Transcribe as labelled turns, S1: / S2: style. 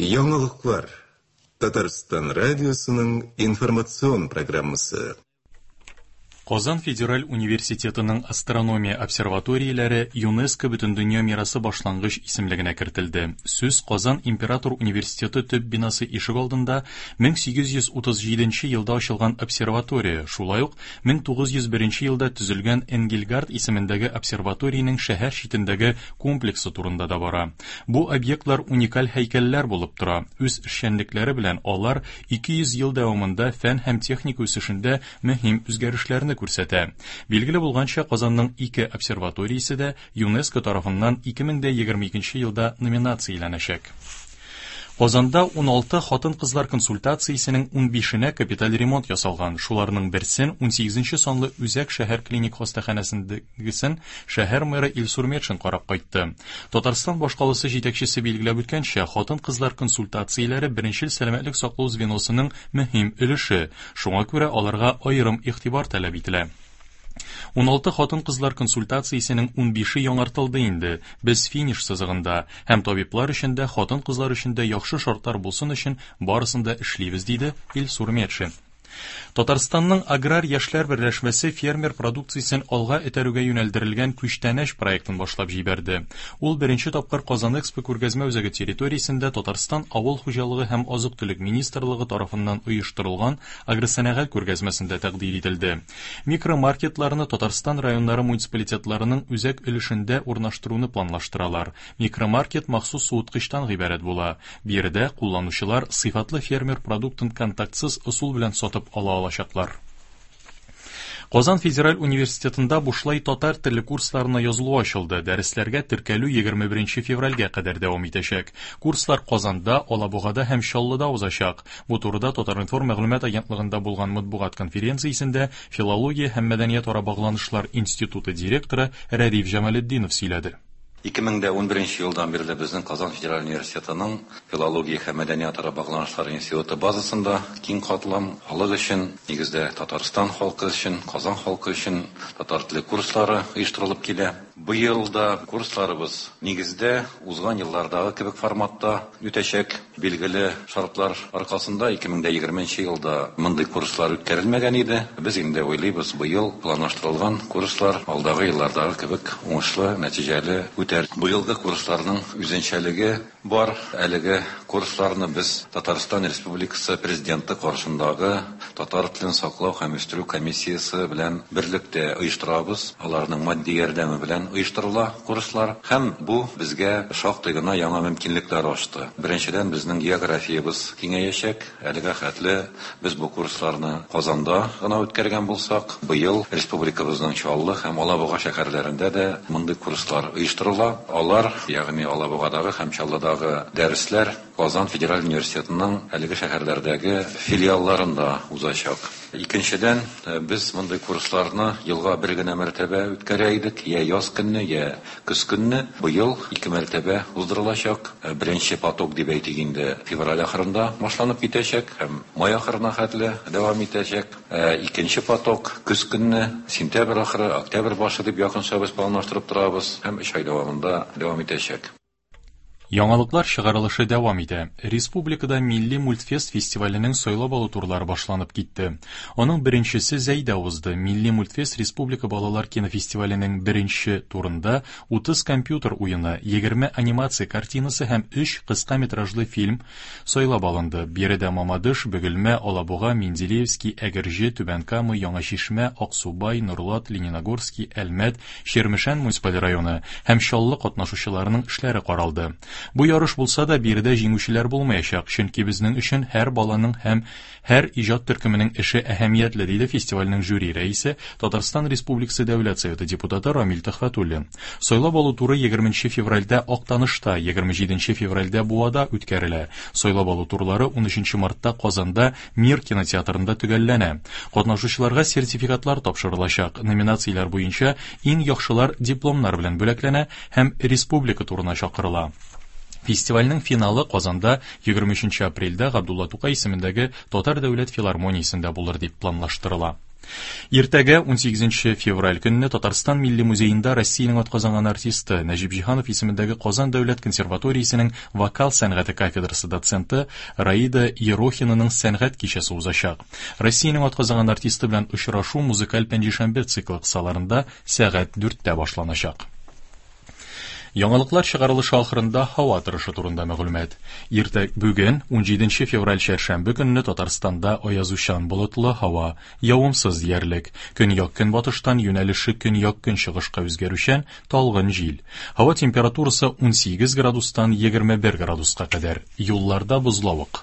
S1: Яңалыклар. Татарстан радиосының информацион программасы.
S2: Казан федераль университетының астрономия обсерваторияләре ЮНЕСКО Бөтендөнья мирасы башлангыч исемлегенә кертелде. Сүз Казан император университеты төп бинасы ишегалдында 1837 елда ачылган обсерватория, шулай ук 1901 елда төзелгән Энгельгард исемендәге обсерваториянең шәһәр читендәге комплексы турында да бара. Бу объектлар уникаль һәйкәлләр булып тора. Үз эшчәнлекләре белән алар 200 ел дәвамында фән һәм техника үсешендә мөһим үзгәрешләрне күрсәтә. Билгеле булганча, Казанның ике обсерваториясе дә ЮНЕСКО тарафыннан 2022 елда номинацияләнәчәк. Казанда 16 хатын-кызлар консультациясенең 15-енә капиталь ремонт ясалган. Шуларның берсен 18 санлы үзәк шәһәр клиник хастаханәсендәгесен шәһәр мэры Илсур Метшин карап кайтты. Татарстан башкаласы җитәкчесе билгеләп үткәнчә, хатын-кызлар консультацияләре беренчел сәламәтлек саклау звеносының мөһим өлеше. Шуңа күрә аларга аерым игътибар таләп ителә. 16 хатын-кызлар консультациясенең 15-е яңартылды инде. Без финиш сызыгында. Һәм табиблар өчен дә, хатын-кызлар өчен дә яхшы шартлар булсын өчен барысын да эшлибез, диде Илсур Метшин. Татарстанның аграр яшьләр берләшмәсе фермер продукциясен алга этәрүгә юнәлдерелгән Күчтәнәч проектын башлап җибәрде. Ул беренче тапкыр Казан Экспо күргәзмә үзәге территориясендә Татарстан авыл хуҗалыгы һәм азык-төлек министрлыгы тарафыннан оештырылган агросәнәгать күргәзмәсендә тәкъдир ителде. Микромаркетларны Татарстан районнары муниципалитетларының үзәк өлешендә урнаштыруны планлаштыралар. Микромаркет махсус суыткычтан гыйбарәт була. Биредә кулланучылар сыйфатлы фермер продуктын контактсыз ысул белән сатып ала алачаклар. Казан федераль университетында бушлай татар теле курсларына язылу ачылды. Дәресләргә теркәлү 21 февральгә кадәр дәвам итәчәк. Курслар Казанда, Алабугада һәм Чаллыда узачак. Бу турыда Татар-информ мәгълүмат агентлыгында булган матбугат конференциясендә Филология һәм мәдәниятара багланышлар институты директоры Рәдиф Җамалетдинов сөйләде.
S3: 2011 елдан бирле безнең Казан федераль университетының Филология һәм мәдәниятара багланышлар институты базасында киң катлам халык өчен, нигездә Татарстан халкы өчен, Казан халкы өчен татар теле курслары оештырылып килә. Быел да курсларыбыз нигездә узган еллардагы кебек форматта үтәчәк. Билгеле шартлар аркасында 2020 елда мондый курслар үткәрелмәгән иде. Без инде уйлыйбыз, быел планлаштырылган курслар алдагы еллардагы кебек уңышлы, нәтиҗәле үтәр. Быелгы курсларның үзенчәлеге бар. Әлеге курсларны без Татарстан Республикасы Президенты каршындагы татар телен саклау һәм үстерү комиссиясе белән берлектә оештырабыз. Аларның матди ярдәме белән оештырыла курслар. Һәм бу безгә шактый гына яңа мөмкинлекләр ачты. Беренчедән, безнең географиябез киңәячәк. Әлегә хәтле без бу курсларны Казанда гына үткәргән булсак, быел республикабызның Чаллы һәм Алабуга шәһәрләрендә дә мондый курслар оештырыла. Алар, ягъни Алабугадагы һәм Чаллыдагы дәресләр Казан федераль университетының әлеге шәһәрләрдәге филиалларында узачак. Икенчедән, без мондый курсларны елга бер генә мәртәбә үткәрә идек, я яз көнне, я көз көнне. Быел ике мәртәбә уздырылачак. Беренче поток дип әйтик инде, февраль ахырында башланып китәчәк һәм май ахырына хәтле дәвам итәчәк. Икенче поток көз көнне, сентябрь ахыры, октябрь башы дип якынча без планлаштырып торабыз һәм 3 ай дәвамында дәвам итәчәк.
S2: Яңалыклар чыгарылышы дәвам итә. Республикада Милли мультфест фестиваленең сайлап алу турлары башланып китте. Аның беренчесе Зәйдә узды. Милли мультфест республика балалар кинофестиваленең беренче турында 30 компьютер уены, 20 анимация картинасы һәм 3 кыска метражлы фильм сайлап алынды. Биредә Мамадыш, Бөгелмә, Алабуга, Менделеевский, Әгерҗе, Түбән Кама, Яңа Чишмә, Аксубай, Нурлат, Лениногорский, Әлмәт, Чирмешән муниципаль районы һәм Чаллы катнашучыларының эшләре каралды. Бу ярыш булса да, биредә җиңүчеләр булмаячак, чөнки безнең өчен һәр баланың һәм һәр иҗат төркеменең эше әһәмиятле, диде фестивальнең жюри рәисе, Татарстан Республикасы Дәүләт Советы депутаты Рамил Төхвәтуллин. Сайлап алу туры 20 февральдә Актанышта, 27 февральдә Буада үткәрелә. Сайлап алу турлары 13 мартта Казанда Мир кинотеатрында төгәлләнә. Катнашучыларга сертификатлар тапшырылачак. Номинацияләр буенча иң яхшылар дипломнар белән бүләкләнә һәм республика турына чакырыла. Фестивальнең финалы Казанда 23 апрельдә Габдулла Тукай исемендәге Татар дәүләт филармониясендә булыр дип планлаштырыла. Иртәгә, 18 февраль көнне Татарстан Милли музеенда Россиянең атказанган артисты, Нәҗип Җиһанов исемендәге Казан дәүләт консерваториясенең вокал сәнгате кафедрасы доценты Раида Ерохинаның сәнгать кичәсе узачак. Россиянең атказанган артисты белән очрашу музыкаль пәнҗешәмбе циклы кысаларында сәгать дүрттә башланачак. Яңалыклар чыгарылышы ахырында һава торышы турында мәгълүмат. Иртә бүген, 17 февраль чәршәмбе көнне Татарстанда аязучан болытлы һава, явымсыз диярлек. Көньяк-көнбатыштан юнәлеше көньяк-көнчыгышка үзгәрүчән талгын җил. Һава температурасы 18 градустан 21 градуска кадәр. Юлларда бозлавык.